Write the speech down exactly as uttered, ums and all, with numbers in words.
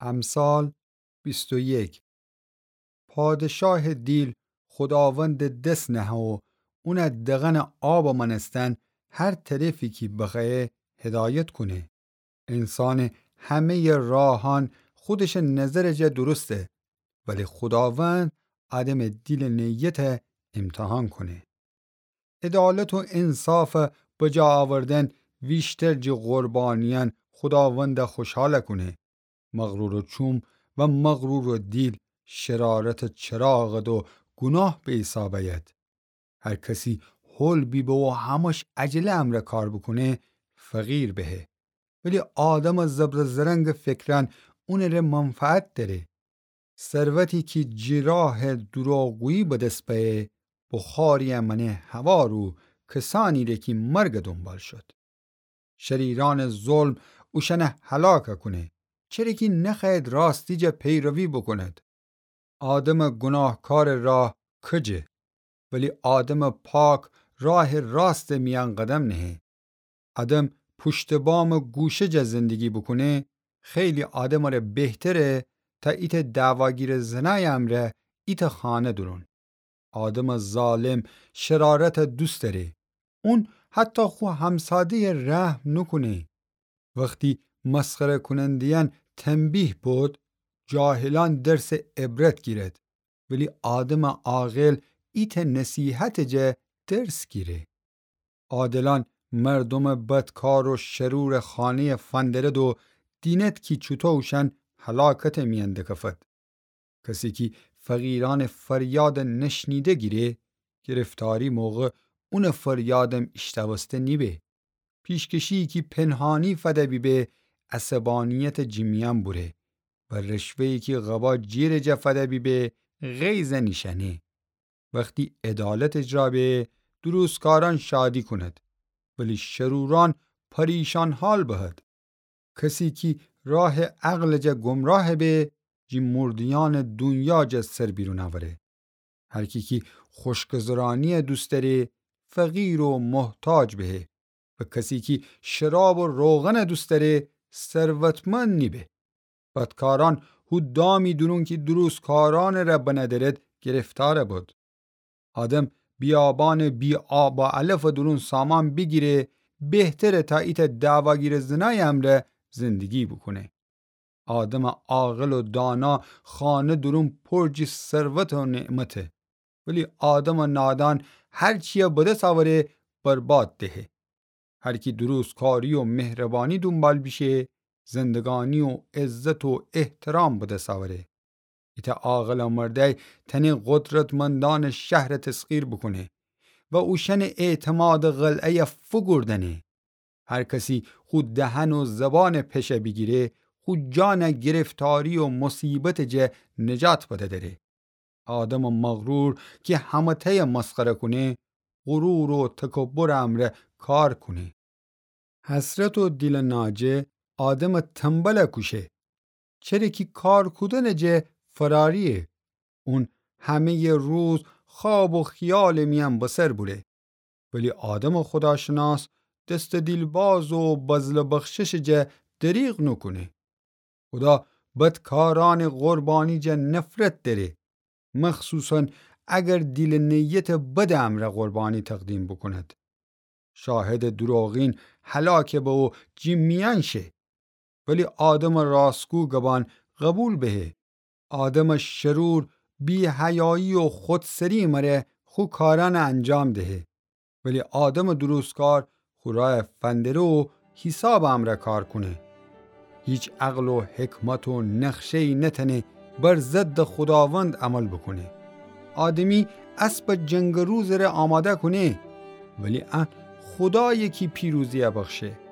امثال بیست و یک. پادشاه دیل خوداوند دس نهه و اون دغن آب مانستن هر طرفی کی بخوأیه هدایت کونه. انسان همه‌ی راهان خودش نظر جا درسته، ولی خوداوند آدم دیل نیت امتحان کونه. عدالت و انصاف بجا آوردن ویشتر جی قربانیان خوداوند خوشحال کونه. مغرور و چوم و مغرور و دیل شرارت چراغد و گناه به حساب آید. هر کسی هول بیبه و همش عجله امرأ کار بوکونه، فقیر بهه. ولی آدم زبر زرنگ فکران اونٚره منفعت دأره. ثروتی کی جی راه دروغگویی به دس بأیه، بخاری مأنه هوار و کسانیره کی مرگ دونبال شد. شریرأنٚ ظلم اوشأن هلاک کونه، چره کی نخوأید راستی جا پیروی بوکوند. آدمٚ گناهکارٚ راه کجه، ولی آدمٚ پاک راه راستٚ میأن قدم نهه. آدم پوشتٚ بامٚ گوشه جا زندگی بوکونه، خیلی آدمٚ ره بهتره تا ایتأ دعواگیر زنای امرأ ایتأ خانه دورون. آدمٚ ظالم شرارت دوست دأره. اون حتی خو همساده‌ی رحم نوکونه. وختی مسخره کوننده‌یأن تنبیه بد، جاهلأن درسٚ عبرت گیرد، ولی آدمٚ عاقل ایتأ نصیحتٚ جا درس گیره. عادلأن مردومٚ بدکار و شرورٚ خانه‌ی فندرد و دینید کی چوطو اوشأن هلاکتٚ میأن دکفد. کسی کی فقیرأنٚ فریادٚ نشنیده گیره، گرفتاری موقع اونٚ فریادم ایشتأوسته نیبه. پیشکشیی کی پنهانی فده بیبه، عصبانیتٚ جی میأن بوره و رشوه‌یی کی قبا جیرٚ جا فده بیبه، غیظ نیشأنه. وختی عدالت اجرا به، درستکارأن شادی کونید، ولی شرورأن پریشان حال بهید. کسی کی راه عقلٚ جا گمراه به، جی مرده‌یأنٚ دونیا جا سر بیرون اوره. هر کی کی خوشگذرانی دوست دأره، فقیر و محتاج بهه، و کسی کی شراب و روغن دوست دأره، ثروتمند نیبه. بدکارأن هو دامی دورون کی درستکارأنٚ ره بنأدرد گرفتار بد. آدم بیابانٚ بی‌آب و علفٚ دورون سامان بیگیره، بهتره تا ایتأ دعواگیر زنای امرأ زندگی بوکونه. آدمٚ عاقل و دانا خانه دورون پر جی ثروت و نعمته، ولی آدمٚ نادان هر چیی به دس اوره برباد دهه. هر کی درستکاری و مهربانی دونبال بیشه، زندگانی و عزت و احترام به دس اوره. ایتأ عاقلٚ مردأی تأنه قدرتمندأنٚ شهر تسخیر بوکونه و اوشأنٚ اعتمادٚ قلعه‌ی فوگوردأنه. هر کسی خو دهن و زبان پشه بیگیره، خو جان گرفتاری و مصیبتٚ جا نجات بدأدره. آدمٚ مغرور کی همه‌تأی مسخره کونه، غرور و تکبرٚ امرأ کار کونه. حسرت و دیلٚ ناجه آدمٚ تنبل کوشه، چره کی کار کودنٚ جا فراریه. اون همه‌یٚ روز خواب و خیالٚ میأن بسر بوره. ولی آدمٚ خوداشناس دستٚ دیلباز و بذل و بخششٚ جا دریغ نوکونه. خودا بدکارأنٚ قربانی جا نفرت دأره، مخصوصاً اگر دیلٚ نیتٚ بدٚ امرأ قربانی تقدیم بوکوند. شاهدٚ دروغین هلاک به و جی میأن شه، ولی آدمٚ راستگو گبان قبول بهه. آدمٚ شرور بی‌حیایی و خودسری مره خو کارأن انجام دهه، ولی آدمٚ درستکار خو رأی فندره و حیسابٚ امرأ کار کونه. هیچ عقل و حکمت و نقشه‌یی نتأنه بر ضدٚ خوداوند عمل بوکونه. آدمی اسبٚ جنگٚ روزٚ ره آماده کونه، ولی ان خودایه کی پیروزی بخشه.